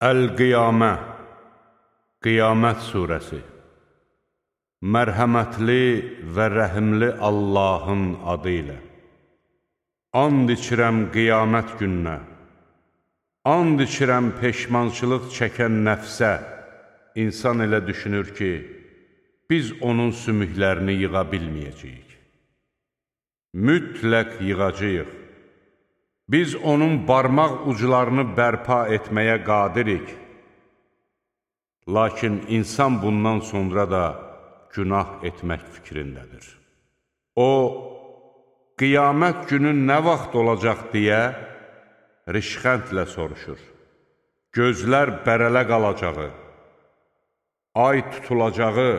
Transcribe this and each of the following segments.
Əl-Qiyamə, Qiyamət surəsi. Mərhəmətli və rəhimli Allahın adı ilə. And içirəm qiyamət gününə, and içirəm peşmançılıq çəkən nəfsə. İnsan elə düşünür ki, biz onun sümüklərini yığa bilməyəcəyik. Mütləq yığacağıq. Biz onun barmaq uclarını bərpa etməyə qadirik. Lakin insan bundan sonra da günah etmək fikrindədir. O, qiyamət günü nə vaxt olacaq deyə rişxəndlə soruşur. Gözlər bərələ qalacağı, ay tutulacağı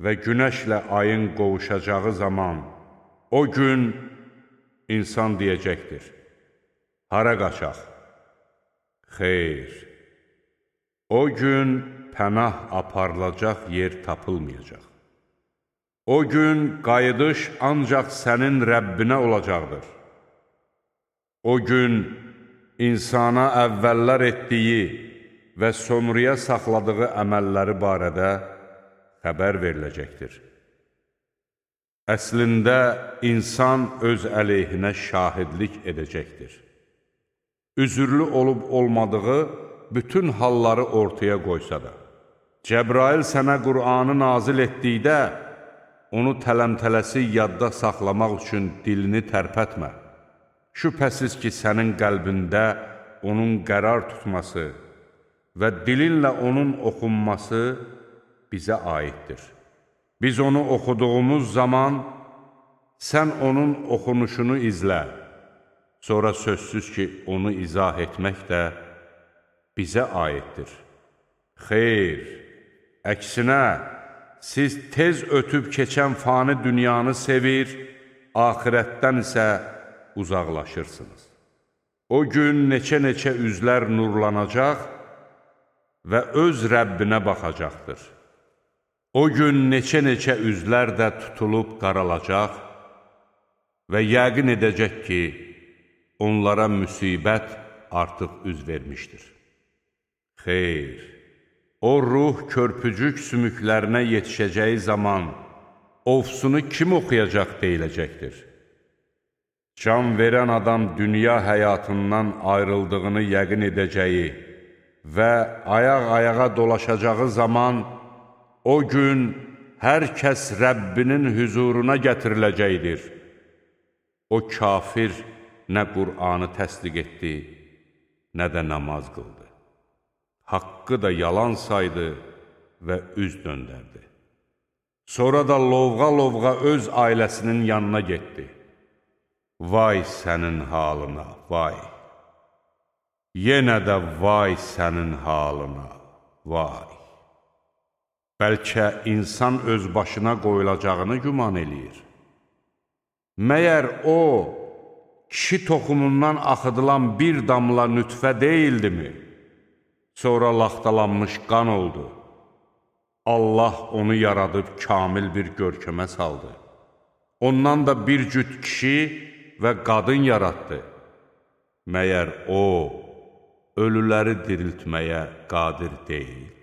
və günəşlə ayın qovuşacağı zaman, o gün insan deyəcəkdir: hara qaçaq? Xeyr, o gün pənah aparılacaq yer tapılmayacaq. O gün qayıdış ancaq sənin Rəbbinə olacaqdır. O gün insana əvvəllər etdiyi və sonraya saxladığı əməlləri barədə xəbər veriləcəkdir. Əslində, insan öz əleyhinə şahidlik edəcəkdir. Üzürlü olub olmadığı bütün halları ortaya qoysa da. Cəbrail sənə Qur'anı nazil etdikdə, onu tələmtələsi yadda saxlamaq üçün dilini tərpətmə. Şübhəsiz ki, sənin qəlbində onun qərar tutması və dilinlə onun oxunması bizə aiddir. Biz onu oxuduğumuz zaman, sən onun oxunuşunu izlə. Sonra sözsüz ki, onu izah etmək də bizə aiddir. Xeyr, əksinə, siz tez ötüb keçən fani dünyanı sevir, axirətdən isə uzaqlaşırsınız. O gün neçə-neçə üzlər nurlanacaq və öz Rəbbinə baxacaqdır. O gün neçə-neçə üzlər də tutulub qaralacaq və yəqin edəcək ki, onlara müsibət artıq üz vermişdir. Xeyr, o ruh körpücük sümüklərinə yetişəcəyi zaman ofsunu kim oxuyacaq deyiləcəkdir. Can verən adam dünya həyatından ayrıldığını yəqin edəcəyi və ayaq-ayağa dolaşacağı zaman o gün hər kəs Rəbbinin hüzuruna gətiriləcəkdir. O kafir nə Qur'anı təsdiq etdi, nə də namaz qıldı. Haqqı da yalan saydı və üz döndərdi. Sonra da lovğa-lovğa öz ailəsinin yanına getdi. Vay sənin halına, vay! Yenə də vay sənin halına, vay! Bəlkə insan öz başına qoyulacağını güman eləyir. Məyər o, kişi toxumundan axıdılan bir damla nütfə deyildimi? Sonra laxtalanmış qan oldu. Allah onu yaradıb kamil bir görkəmə saldı. Ondan da bir cüt kişi və qadın yaratdı. Məyər o, ölüləri diriltməyə qadir deyil.